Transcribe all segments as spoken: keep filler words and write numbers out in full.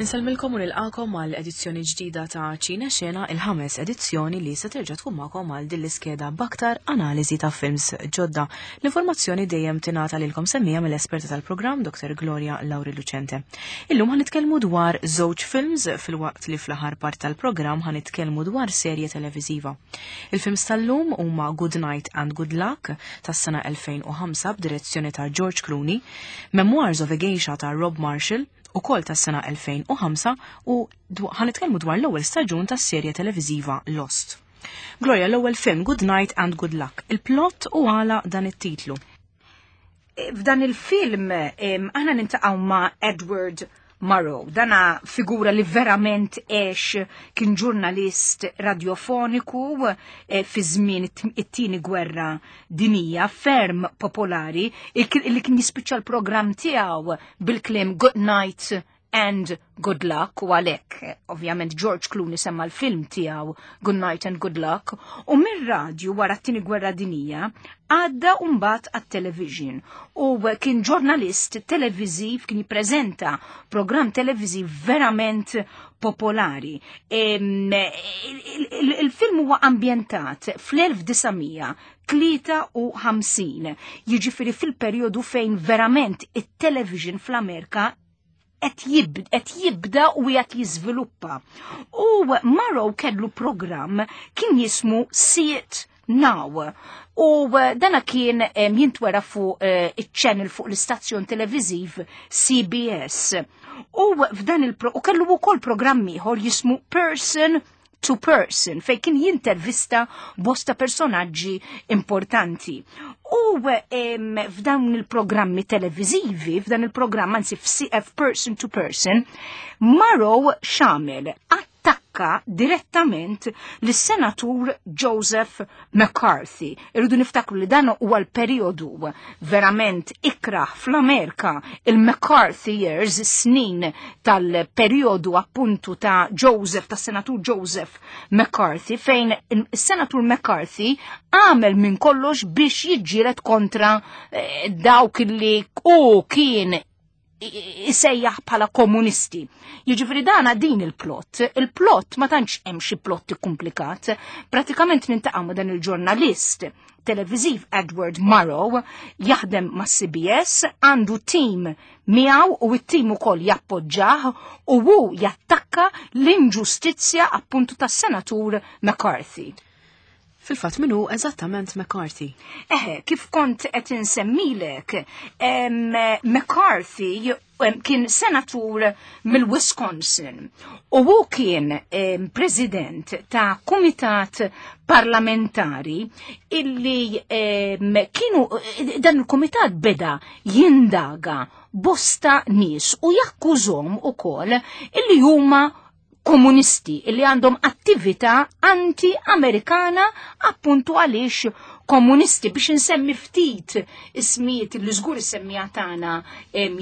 Insellmilkom u nilqakom għal edizzjoni ġdida ta' Ċine Xena, il-ħames edizzjoni li se terġa' tkun magħkom għal din l-iskeda b'aktar analiżi ta' films ġodda. L-informazzjoni dejjem tingħata lilkom semmija mill-esperta tal-programm Doctor Gloria Lauri Lucente. Illum ħa nitkellmu dwar żewġ films, filwaqt li fl-aħħar part tal-programm ħa nitkellmu dwar serje televiżiva. Il-films tal-lum huma Good Night and Good Luck tas-sena elfejn u ħamsa b'direzzjoni ta' George Clooney, Memoirs of a Geisha ta' Rob Marshall, ukoll tas-sena elfejn u ħamsa, u ħa nitkellmu dwar l-ewwel staġun tas-serje televiżiva Lost. Gloria, l-ewwel film, Good Night and Good Luck. Il-plot u għala dan it-titlu? F'dan il-film aħna niltaqgħu ma' Edward Murrow. Dana figura li verament għex, kien ġurnalist radiofoniku eh, fi żmien it-tieni gwerra dinija, ferm popolari, li kien jispiċċa l-programm tiegħu bil-kliem "Good night and good luck", u għalhekk ovvjament George Clooney semma l-film tiegħu Good Night and Good Luck. U mir-radju wara t-tieni gwerra dinija għadda mbagħad għat-television u kien ġurnalist televiżiv, kien jippreżenta programm televiżiv verament popolari. Il-film huwa ambjentat fl-elf disa' mija tlieta u ħamsin, jiġifieri fil-perjodu fejn verament it-television fl-Amerika qed jibda u qed jiżviluppa. U Murrow kellu programm kien jismu See It Now. U dana kien jintwera fuq eh, iċ-channel, fuq l-istazzjon televiżiv C B S. U f'dan il u kellu wkoll programm ieħor jismu Person to Person, fej kien jintervista bosta personaġġi importanti. U f'dawn il-programmi televizivi, f'dan il-programm, anzi f'C F Person to Person, Murrow x'għamel? Attakka direttament lis-senatur Joseph McCarthy. Irridu niftakru li dan huwa l-periodu verament ikraħ fl-Amerika, il-McCarthy years, snin tal-periodu appuntu ta' Joseph, ta' senatur Joseph McCarthy, fejn il-senatur McCarthy għamel minn kollox biex jiġġieled kontra eh, dawk li u kien isejjaħ bħala komunisti. Jiġifieri dana din il-plot. Il-plot ma tantx hemm xi plot komplikat. Pratikament niltaqgħu ma' dan il-ġurnalist televiziv Edward Murrow, jaħdem ma' C B S, għandu tim miegħu u it-tim ukoll jappoġġah u hu jattakka l-inġustizzja appuntu tas-senatur McCarthy. Fil-fatt, min hu eżattament McCarthy? Eħe, kif kont qed insemmilek, McCarthy kien senatur mill-Wisconsin u hu kien president ta' kumitat parlamentari illi kienu, dan il-kumitat beda jindaga bosta nies u jakkużhom ukoll illi huma komunisti, illi għandhom attività anti-Amerikana, appuntu għaliex komunisti. Biex nsemmi ftit ismijiet li żgur is-semmiegħa tagħna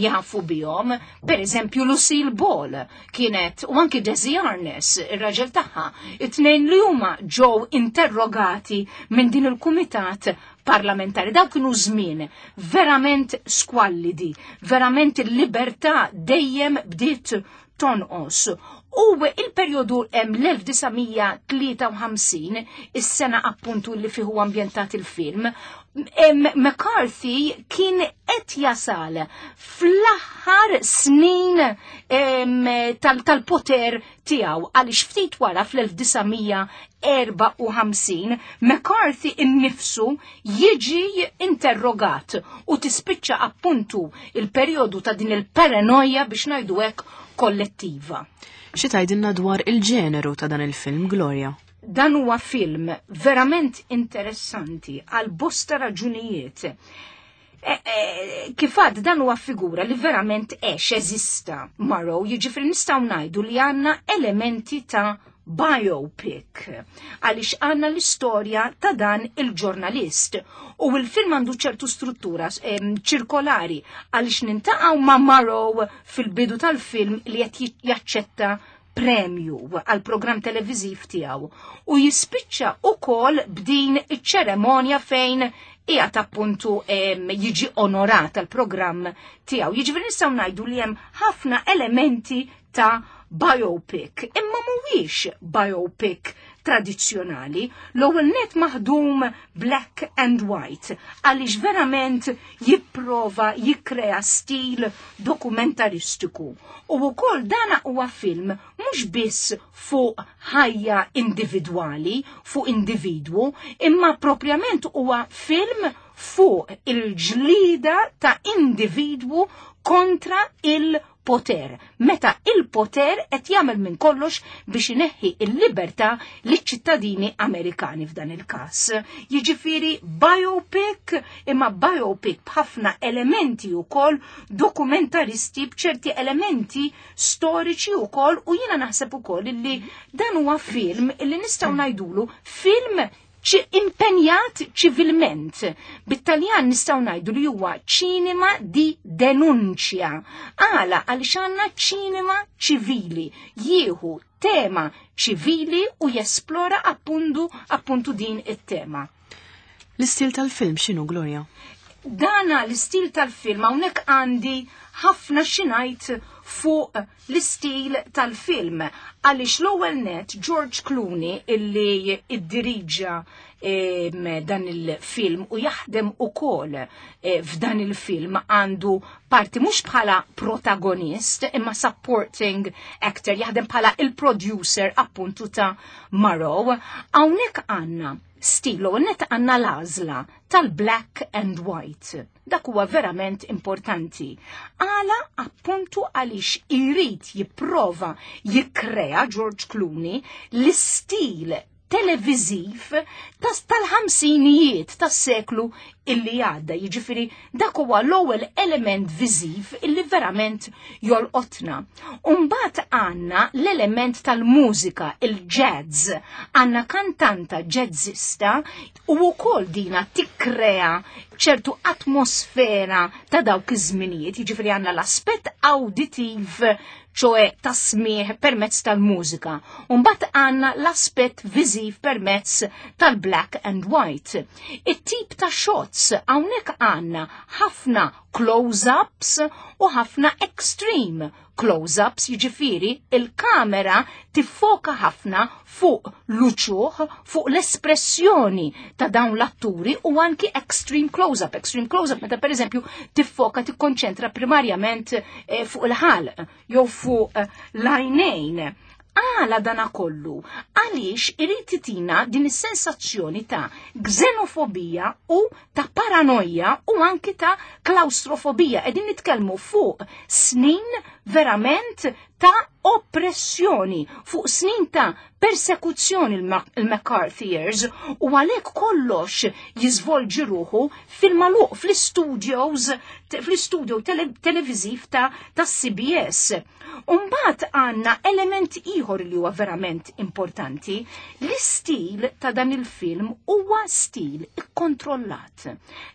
jafu bihom, per eżempju Lucille Ball kienet u anki Desi Arnaz, ir-raġel tagħha, it-tnejn li huma ġew interrogati minn din il-kumitat parlamentari. Daw kienu żmien verament squallidi, verament il-libertà dejjem bdiet tonqos. U il-periodu l-elf disa' mija tlieta u ħamsin, is-sena appuntu li fihu ambjentat il-film, McCarthy kien qed jasal fl-aħħar snin tal-poter tiegħu, għaliex ftit wara fl-elf disa' mija erbgħa u ħamsin McCarthy innifsu jiġi interrogat u tispiċċa appuntu il-perjodu ta' din il-paranoja, biex ngħidu hekk, kollettiva. Xi tgħidilna dwar il-ġeneru ta' dan il-film, Gloria? Dan huwa film verament interessanti għal bosta raġunijiet. E, e, kif għedt, dan huwa figura li verament għex, eżista Murrow, jiġifieri nistgħu ngħidu li għandna elementi ta' biopic għaliex għandna l-istorja ta' dan il-ġurnalist u il-film għandu ċertu struttura ċirkolari, għaliex niltaqgħu ma' Murrow fil-bidu tal-film li qed jaċċetta premju għal program televiziv tiegħu u jispiċċa ukoll b'din iċ-ċeremonja fejn qiegħed appuntu jiġi onorat għal programm tiegħu. Jiġifieri nistgħu ngħidu li hemm ħafna elementi ta' biopic, imma mhuwiex biopic tradizzjonali, l-ewwel net maħdum black and white, għaliex verament jipprova jikkrea stil dokumentaristiku. U wkoll dana huwa film mhux biss fuq ħajja individwali, fuq individwu, imma propjament huwa film fuq il-ġlida ta' individwu kontra il-poter. Meta il-poter qed jagħmel minn kollox biex ineħħi il-libertà liċ-ċittadini Amerikani f'dan il-każ. Jiġifieri biopic, imma biopic b'ħafna elementi wkoll dokumentaristi, b'ċerti elementi storiċi wkoll, u jiena naħseb ukoll illi dan huwa film illi nistgħu ngħidulu film impenjat ċivilment. Bit-Taljan nistgħu ngħidu li huwa cinema di denuncia. Għala għaliex għandna ċinema ċivili, jieħu tema ċivili u jesplora appuntu, appuntu din it-tema. L-istil tal-film x'inhu, Gloria? Dana l-istil tal-film hawnhekk għandi ħafna xinajt fuq l-istil tal-film, għaliex l-ewwel net George Clooney illi iddiriġa dan il-film u jaħdem ukoll f'dan il-film, għandu parti mhux bħala protagonist imma supporting actor, jaħdem bħala il-producer appuntu ta' Murrow. Hawnhekk għandna stilu, net għandna l-għażla tal-black and white. Dak huwa verament importanti. Għala appuntu għaliex irid jipprova jikkrea George Clooney l-istil televiziv tal-ħamsinijiet tas-seklu illi għadda. Jiġifieri dak huwa l-ewwel element viżiv illi verament jolqotna. Umbagħad għandna l-element tal-mużika, il-jazz. Għandna kantanta jazzista u wkoll dina tikkrea ċertu atmosfera ta' dawk iż-żminijiet, jiġifieri għandna l-aspett auditiv, ċoe tasmieħ permezz tal-mużika. Umbagħad għandna l-aspett viżiv permezz tal-black and white. It-tip ta' shots, hawnhekk għandna ħafna close-ups u ħafna extreme close-ups, jiġifieri il-kamera tiffoka ħafna fuq l-uċuħ, fuq l-espressjoni ta' dawn l-atturi, u anki extreme close-up. Extreme close-up meta per eżempju tiffoka, tikkonċentra primarjament eh, fuq il-ħalq jew fuq eh, l-għajnejn. Għala dana kollu? Għaliex irid titina din is-sensazzjoni ta' xenofobija u ta' paranoja u anki ta' klaustrofobija. Qegħdin nitkellmu fuq snin verament ta' oppressjoni, fuq snin ta' persekuzzjoni, il-McCarthy years, u għalhekk kollox jiżvolġi ruħu fil-magħluq fl-studios, fl-studio televiziv ta' ta' C B S. Umbagħad għandna element ieħor li huwa verament importanti, l-istil ta' dan il-film huwa stil ikkontrollat.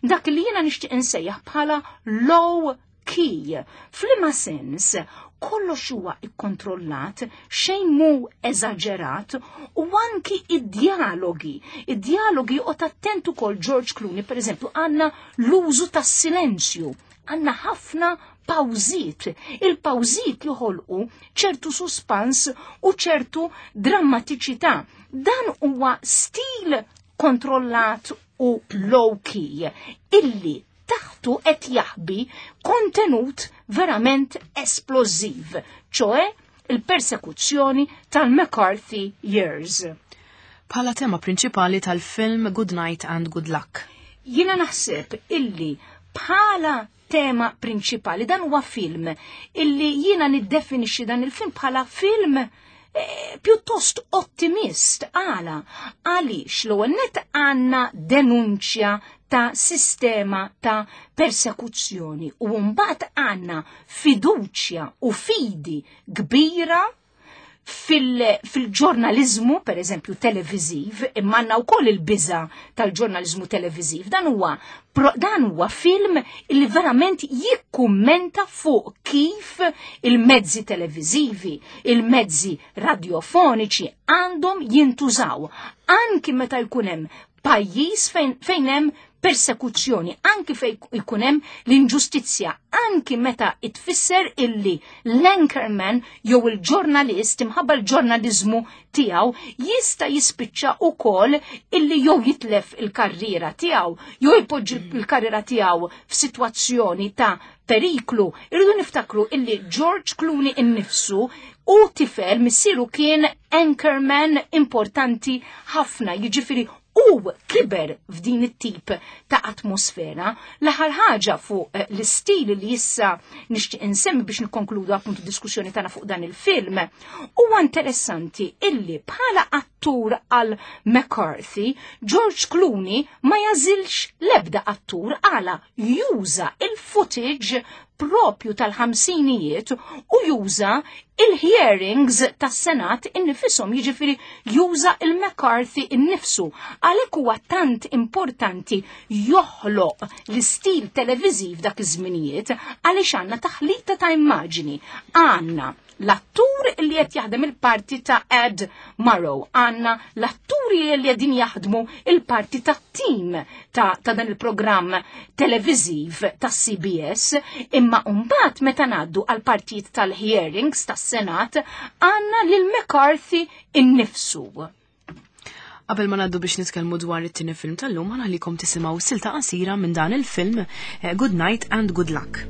Dak li jiena nixtieq insejjaħ bħala low key. F'liema sens? Kollox huwa ikkontrollat, xejn mu eżaġerat, u anki id-dialogi. Id-dialogi u attent ukoll George Clooney, per eżempju, għandna l-użu tas-silenzju, għandna ħafna pawżiet. Il-pawżiet joħolqu ċertu suspans u ċertu drammatiċità. Dan huwa stil kontrollat u low key illi taħtu qed jaħbi kontenut verament esplożiv, ċoe il-persekuzzjoni tal-McCarthy years. Bħala tema prinċipali tal-film Good Night and Good Luck. Jiena naħseb illi bħala tema prinċipali dan huwa film illi jiena niddefinixxi dan il-film bħala film eh, pjuttost ottimist. Għala? Għaliex l-ewwel net għandna denunċja ta' sistema ta' persekuzzjoni u mbagħad għandna fiduċja u fidi kbira fil-ġurnalizmu, per eżempju, televiziv, imma għandna wkoll il-biża tal-ġurnalizmu televiziv. Dan huwa dan huwa film li verament jikkummenta fuq kif il-mezzi televizivi, il-mezzi radiofoniċi għandhom jintużaw, anki meta jkun hemm pajjiż fejn, fejn hemm persekuzzjoni, anki fejn ikun hemm l-inġustizzja, anki meta itfisser illi l-anchorman jew il-ġurnalist imħabba l-ġurnaliżmu tiegħu jista' jispiċċa ukoll illi jew jitlef il-karriera tiegħu jew jpoġġi l-karriera tiegħu f'sitwazzjoni ta' periklu. Irridu niftakru illi George Clooney innifsu u tifel missieru kien anchorman importanti ħafna, jiġifieri u kiber f'din it-tip ta' atmosfera. L-aħħar ħaġa fuq l-istil li issa nixtieq insemmi biex nikkonkludu appuntu diskussjoni tagħna fuq dan il-film, huwa interessanti illi bħala attur għal McCarthy, George Clooney ma jażilx l-ebda attur għala juża il-footage propju tal-ħamsinijiet u juża il-hearings tas-Senat innifisom, jiġifieri juża il-McCarthy innifsu. Għalhekk huwa tant importanti joħloq l-istil televiżiv dak iż-żminijiet għaliex għandna taħlita ta' immaġini. Għandna l-attur li qed jaħdem il-parti ta' Ed Murrow, għandna l-atturi li qegħdin jaħdmu il-parti ta' team ta', ta' dan il-programm televiżiv ta' C B S, imma mbagħad meta ngħaddu għal partijiet tal-hearings tas-Senat għandna lil McCarthy innifsu. Qabel ma ngħaddu biex nitkellmu dwar it-tieni film tal-lum, ħa nħallikom tisimgħu silta qasira minn dan il-film, eh, Good Night and Good Luck.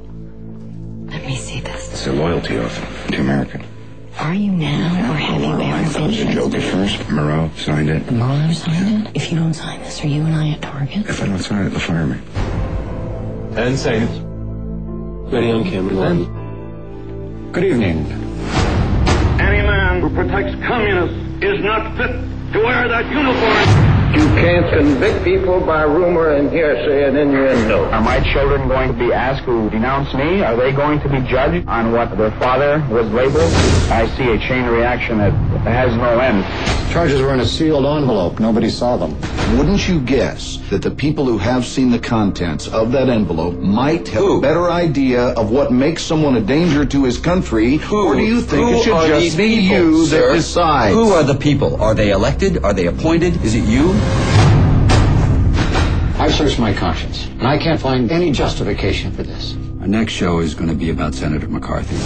Let me see this. It's a loyalty oath to America. Are you now, or have you I ever thought it was a been? joke at first. Murrow signed it. Murrow signed it? If you don't sign this, are you and I a target? If I don't sign it, they'll fire me. Ten seconds. Ready on camera one. Good evening. Any man who protects communists is not fit to wear that uniform. You can't convict people by rumor and hearsay and innuendo. Are my children going to be asked to denounce me? Are they going to be judged on what their father was labeled? I see a chain reaction that has no end. Charges were in a sealed envelope. Nobody saw them. Wouldn't you guess that the people who have seen the contents of that envelope might have a better idea of what makes someone a danger to his country? Who, or do you think who it should are just these be people, you sir? that decides? Who are the people? Are they elected? Are they appointed? Is it you? I've searched my conscience, and I can't find any justification for this. Our next show is going to be about Senator McCarthy.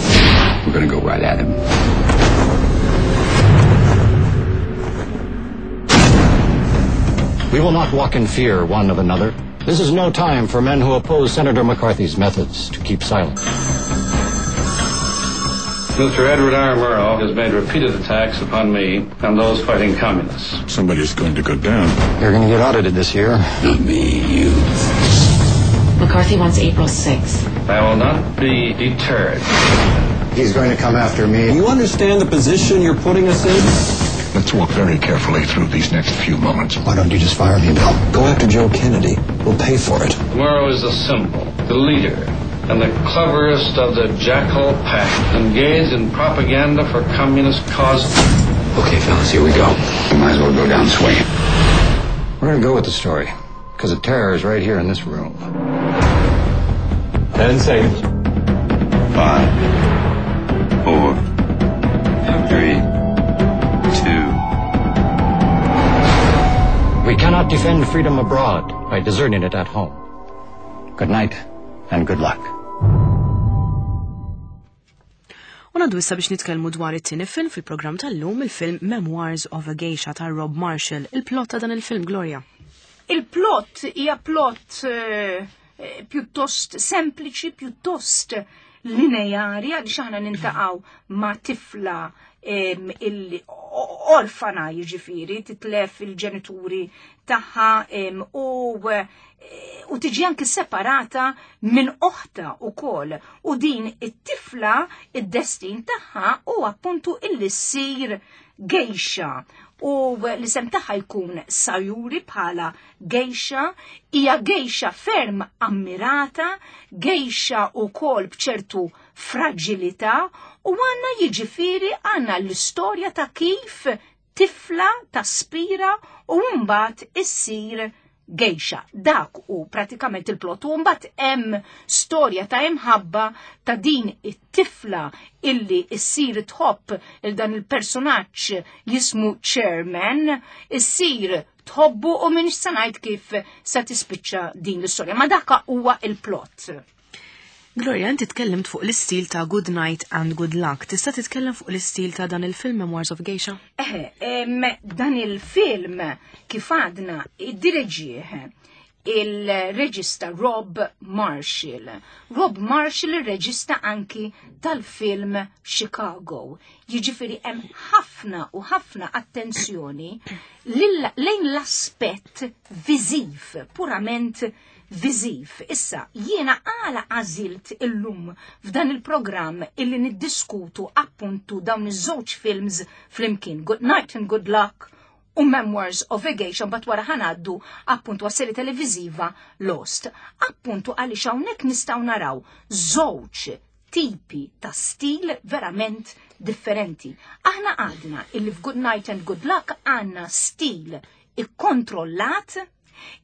We're going to go right at him. We will not walk in fear one of another. This is no time for men who oppose Senator McCarthy's methods to keep silent. Mister Edward R. Murrow has made repeated attacks upon me and those fighting communists. Somebody's going to go down. You're going to get audited this year. Not me, you. McCarthy wants April sixth. I will not be deterred. He's going to come after me. You understand the position you're putting us in? Let's walk very carefully through these next few moments. Why don't you just fire me, Bill? Go after Joe Kennedy. We'll pay for it. Murrow is the symbol, the leader, and the cleverest of the jackal pack, engaged in propaganda for communist causes. Okay, fellas, here we go. We might as well go down swinging. We're going to go with the story, because the terror is right here in this room. Ten seconds. Five, four, three, two. We cannot defend freedom abroad by deserting it at home. Good night and good luck. U ngħaddu issa biex nitkellmu dwar it-tieni film fil-programm tal-lum, il-film Memoirs of a Geisha ta' Rob Marshall. Il-plot ta' dan il-film, Gloria. Il-plot hija plot eh, eh, pjuttost sempliċi, pjuttost lineari, għaliex aħna niltaqgħu ma' tifla em, illi orfana, jiġifieri titlef il-ġenituri tagħha em, u eh, u tiġi anki separata minn oħta ukoll, u din it-tifla id-destin tagħha u appuntu illi ssir geisha, u l-isem tagħha jkun Sayuri bħala geisha. Hija geisha ferm ammirata, geisha ukoll bċertu fragilità, u għandna jiġifieri għandna l-istorja ta' kif tifla taspira u mbagħad issir geisha. Dak u pratikament il-plot. U mbagħad hemm storja ta' imħabba ta' din it-tifla illi issir tħobb il dan il-personaġġ jismu Chairman, issir tħobbu u m'iniex se ngħid kif se tispiċċa din l-istorja. Ma dakka huwa il-plot. Gloria, inti tkellimt fuq l-istil ta' Good Night and Good Luck. Tista' titkellem fuq l-istil ta' dan il-film Memoirs of Geisha? Eħe, em, dan il-film kif għadna iddireġieh il-reġista Rob Marshall. Rob Marshall il-reġista anki tal-film Chicago. Jiġifieri hemm ħafna u ħafna attenzjoni lil- lejn l-aspett viżiv, purament viżiv. Issa, jiena għala għażilt illum f'dan il-programm illi niddiskutu appuntu dawn iż-żewġ films flimkien, Good Night and Good Luck u Memoirs of a Geisha, but wara ħa ngħaddu appuntu għas-seri televiziva Lost. Appuntu għaliex hawnhekk nistgħu naraw żewġ tipi ta' stil verament differenti. Aħna għadna illi f'Good Night and Good Luck għandna stil ikkontrollat,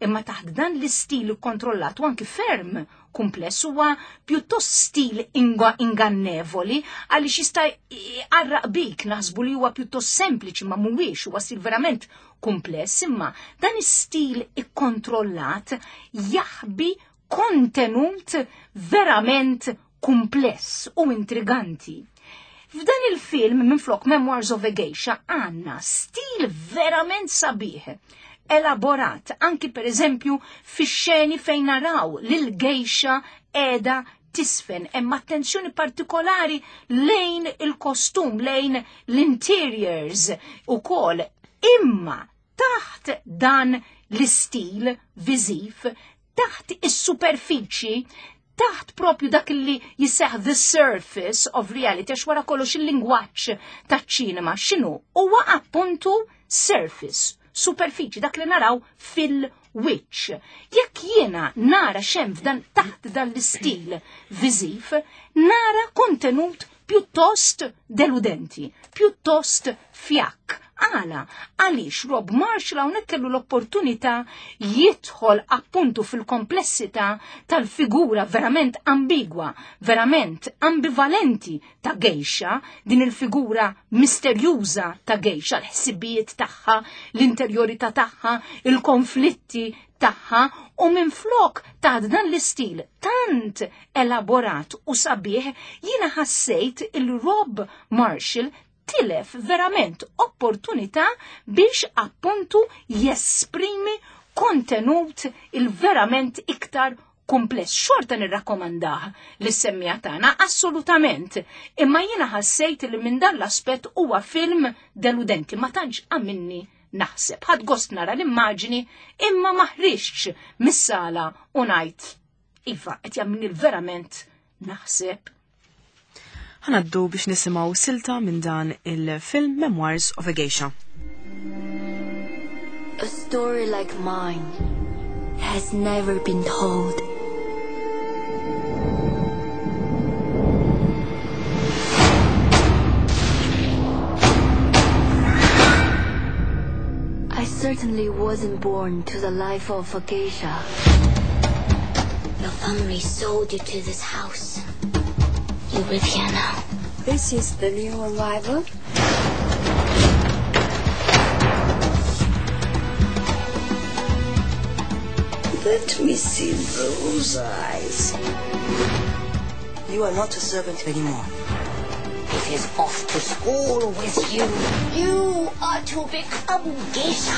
imma taħt dan l-istil ikkontrollat u anki ferm kumpless huwa pjuttost stil inga ingannevoli għaliex jista' jqarraq bik naħsbu li huwa pjuttost sempliċi ma mhuwiex, huwa stil verament kumpless, imma dan is-stil ikkontrollat jaħbi kontenut verament kumpless u intriganti. F'dan il-film minflok Memoirs of a Geisha għandna stil verament sabiħ, elaborat, anki per eżempju fix-xeni fejn naraw lil geisha qiegħda tiżfen, hemm attenzjoni partikolari lejn il-kostum, lejn l-interiors u kol, imma taħt dan l-istil viżiv, taħt is-superfiċi, taħt propju dak li jisseħ the surface of reality, għax wara kollox il-lingwaġġ taċ-ċinema x'inhu? Huwa appuntu surface, superfiċi, dak li naraw fil-wiċċ. Jekk jiena nara x'hemm f'dan taħt dan l-istil viżiv, nara kontenut pjuttost deludenti, pjuttost fjakk. Għala, għaliex Rob Marshall hawnhekk kellu l-opportunità jidħol appuntu fil-komplessità tal-figura verament ambigwa, verament ambivalenti ta' geisha, din il-figura misterjuża ta' geisha, l-ħsibijiet tagħha, l-interjorità tagħha, il-konflitti tagħha, u minflok ta' dan l-istil tant elaborat u sabiħ, jiena ħassejt il-Rob Marshall tilef verament opportunità biex appuntu jesprimi kontenut il-verament iktar kumpless. Xorta nirrakkomandah lis-semmiegħa tagħna, assolutament. Imma jiena ħassejt li minn dan l-aspett huwa film deludenti, ma tantx għamilni naħseb. Ħadt gost nara l-immaġni imma ma ħriġtx mis-sala u ngħid iva qed jagħmilni verament naħseb. Ħa ngħaddu biex nisimgħu silta minn dan il-film Memoirs of a Geisha. A story like mine has never been told. I certainly wasn't born to the life of a geisha. Your family sold you to this house. You live here now. This is the new arrival. Let me see those eyes. You are not a servant anymore. It is off to school with you. You are to become geisha.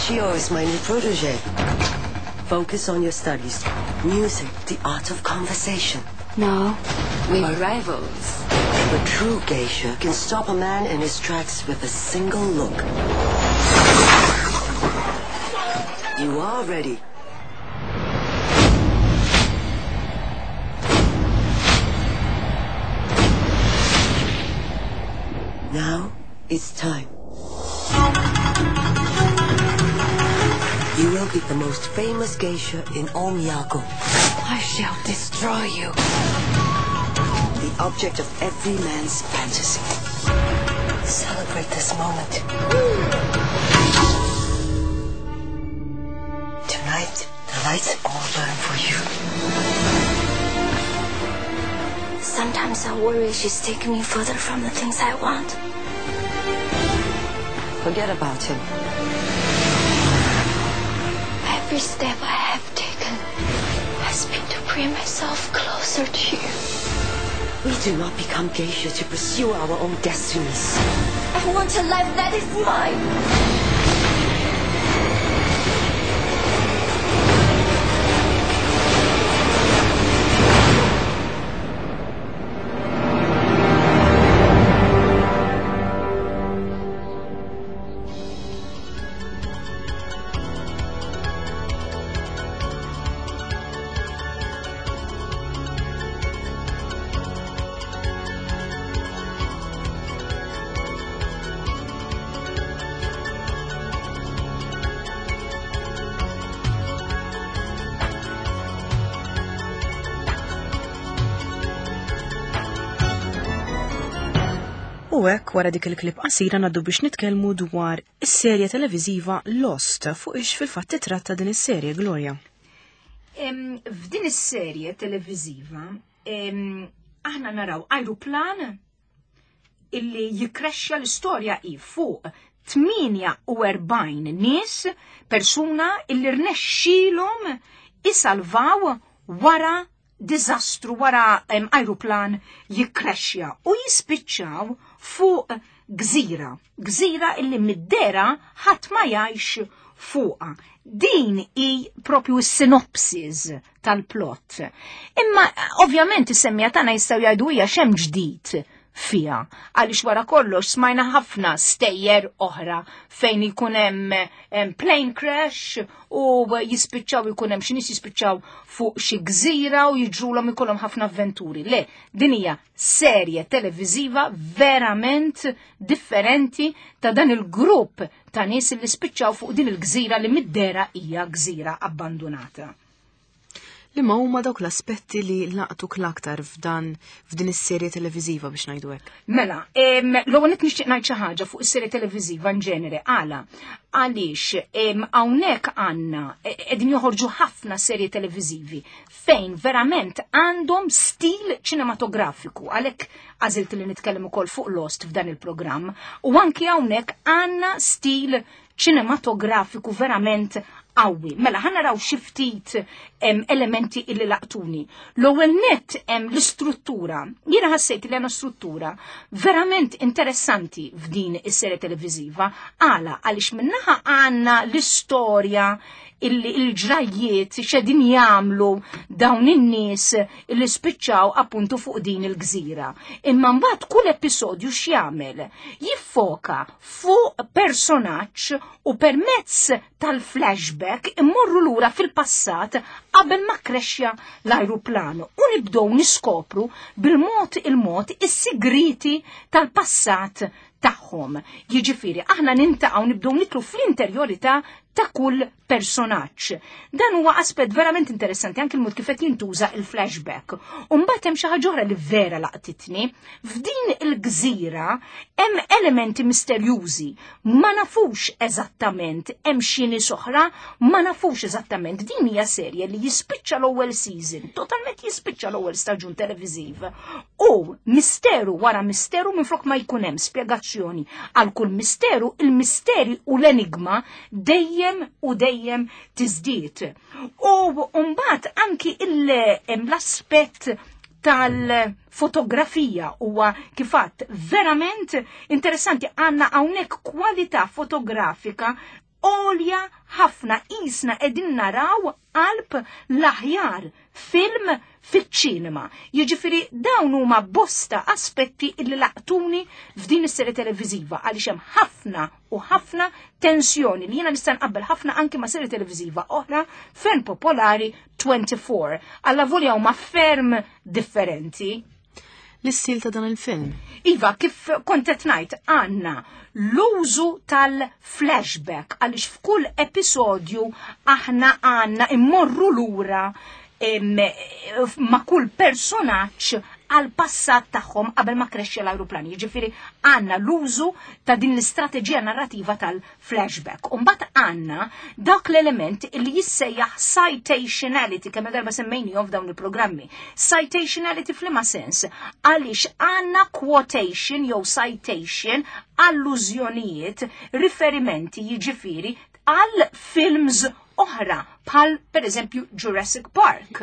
Chiyo is my new protege. Focus on your studies. Music, the art of conversation. No, we are rivals. A true geisha can stop a man in his tracks with a single look. You are ready. Now it's time. You will be the most famous geisha in all Miyako. I shall destroy you. The object of every man's fantasy. Celebrate this moment. Tonight, the lights all burn for you. Sometimes I worry she's taking me further from the things I want. Forget about him. Every step I have taken has been to bring myself closer to you. We do not become geisha to pursue our own destinies. I want a life that is mine. U hekk wara dik il-klip qasira ngħaddu biex nitkellmu dwar is-serje televiżiva Lost, fuq ix fil-fatt titratta din is-serje, Gloria. F'din is-serje televiżiva aħna naraw ajruplan illi jikrexxa l-istorja hi fuq tmienja u erbgħin nies, persuna illi rnexxielhom isalvaw wara diżastru, wara ajruplan jikkrexxa u jispiċċaw fuq gżira, gżira illi mid-dera ħadd ma jgħix fuqha. Din hi propju s-sinopsis tal-plot. Imma ovvjament is-semmija tagħna jistgħu jgħidu hija x'hemm ġdid fiha, għaliex wara kollox smajna ħafna stejjer oħra fejn ikun hemm plane crash u jispiċċaw ikun hemm xi nies jispiċċaw fuq xi gżira u jiġrulhom ikollhom ħafna avventuri. Le, din hija serje televiżiva verament differenti ta' dan il-grupp ta' nies li spiċċaw fuq din il-gżira li mid-dera hija gżira abbandonata. Li ma huma dawk l-aspetti li laqtuk l-aktar f'dan f'din is-serje televiżiva biex ngħidu hekk? Mela, l-ewwel qed nixtieq ngħid xi ħaġa fuq is-serje televiżiva in ġenere. Għala, għaliex hawnhekk għandna qegħdin joħorġu ħafna serje televiżivi fejn verament għandhom stil ċinematografiku, għalhekk għażilt li nitkellem ukoll fuq Lost f'dan il-programm, u anki hawnhekk għandna stil ċinematografiku verament qawwi. Mela ħa naraw xi ftit elementi illi laqtuni. L-ewwel nett hemm l-istruttura. Jiena ħassejt li għandna struttura verament interessanti f'din is-serje televiżiva. Għala, għaliex minnaħa għandna l-istorja illi il-ġrajjiet x'qegħdin jagħmlu dawn in-nies illi spiċċaw appuntu fuq din il-gżira. Imma mbagħad kull episodju x'jagħmel? Jiffoka fuq personaġġ u permezz tal-flashback immorru lura fil-passat qabel ma krexxa l-ajruplan u nibdew niskopru bil-mod il-mod is-sigriti tal-passat tagħhom. Jiġifieri aħna nintaqgħu nibdew nitlu fl-interjorità ta' kull personaġġ. Dan huwa aspett verament interessanti anke l-mod kif qed jintuża il-flashback. U mbagħad hemm xi ħaġa oħra li vera laqtitni. F'din il-gżira hemm elementi misterjużi. Ma nafux eżattament hemm xi nies oħra, ma nafux eżattament. Din hija serje li jispiċċa l-ewwel season, totalment jispiċċa l-ewwel staġun televiżiv. U misteru wara misteru minflok ma jkun hemm spjegazzjoni għal kull misteru, il-misteri u l-enigma dejjem u dejjem tiżdied. U mbagħad anki l-aspett tal-fotografija huwa kif għadt verament interessanti. Għandna hawnhekk kwalità fotografika għolja ħafna, qisna qegħdin naraw qalb l-aħjar film fiċ-ċinema. Jiġifieri dawn huma bosta aspetti illi laqtuni f'din is-serje televiżiva għaliex hemm ħafna u ħafna tensjoni li jiena nista' nqabbel ħafna anki ma' serje televiżiva oħra ferm popolari twenty-four. Alla volja huma ferm differenti. L-istil ta' dan il-film? Iva, kif kont qed ngħid, għandna l-użu tal-flashback għaliex f'kull episodju aħna għandna immorru lura ma' kull personaġġ għal passat tagħhom qabel ma krexxja l-ajruplan. Jiġifieri għandna l-użu ta' din l-istrateġija narrativa tal-flashback. U mbagħad għandna dak l-element li jissejjaħ citationality, kemm darba semmejnihom f'dawn il-programmi. Citationality f'liema sens? Għaliex għandna quotation jew citation, allużjonijiet, riferimenti, jiġifieri għal films oħra, bħal per eżempju Jurassic Park.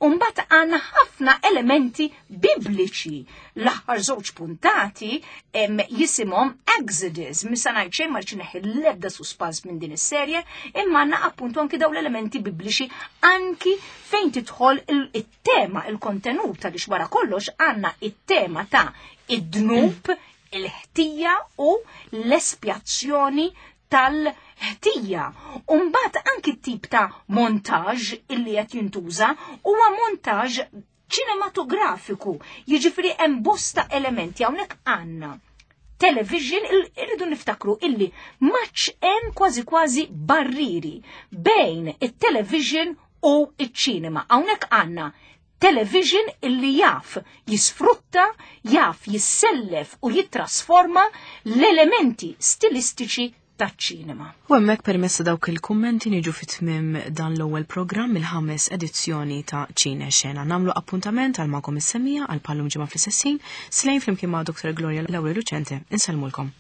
Umbat għanna ħafna elementi bibliċi. L-aħħar żewġ puntati em, jisimhom Exodus. Misa ngħid xejn, ma rridx neħi l-ebda suspans minn din is-serje, imma għandna appuntu anki dawn l-elementi bibliċi anki fejn tidħol il-tema, il-kontenut, għaliex wara kollox għandna it-tema ta' id-dnub, il-ħtija u l-espjazzjoni tal-ħtija. Umbat anki tip ta' montaġ illi qed jintuża huwa montaġ ċinematografiku. Jiġifieri hemm bosta elementi. Hawnhekk għandna television. Irridu niftakru illi maċ hemm kważi kważi barriri bejn it-television u iċ-ċinema. Hawnhekk għandna television illi jaf jisfrutta, jaf jissellef u jittrasforma l-elementi stilistiċi taċ-ċinema. U hemmhekk, permezz dawk il-kummenti, niġu fit-tmim dan l-ewwel programm, il-ħames edizzjoni ta' Ċine Xena. Nagħmlu appuntament għal magħkom is-semmiegħa għal bħal-lum ġimgħa fl-istess ħin. Slejn flimkien ma' Doktor Gloria Lauri Lucente. Insellmulkom.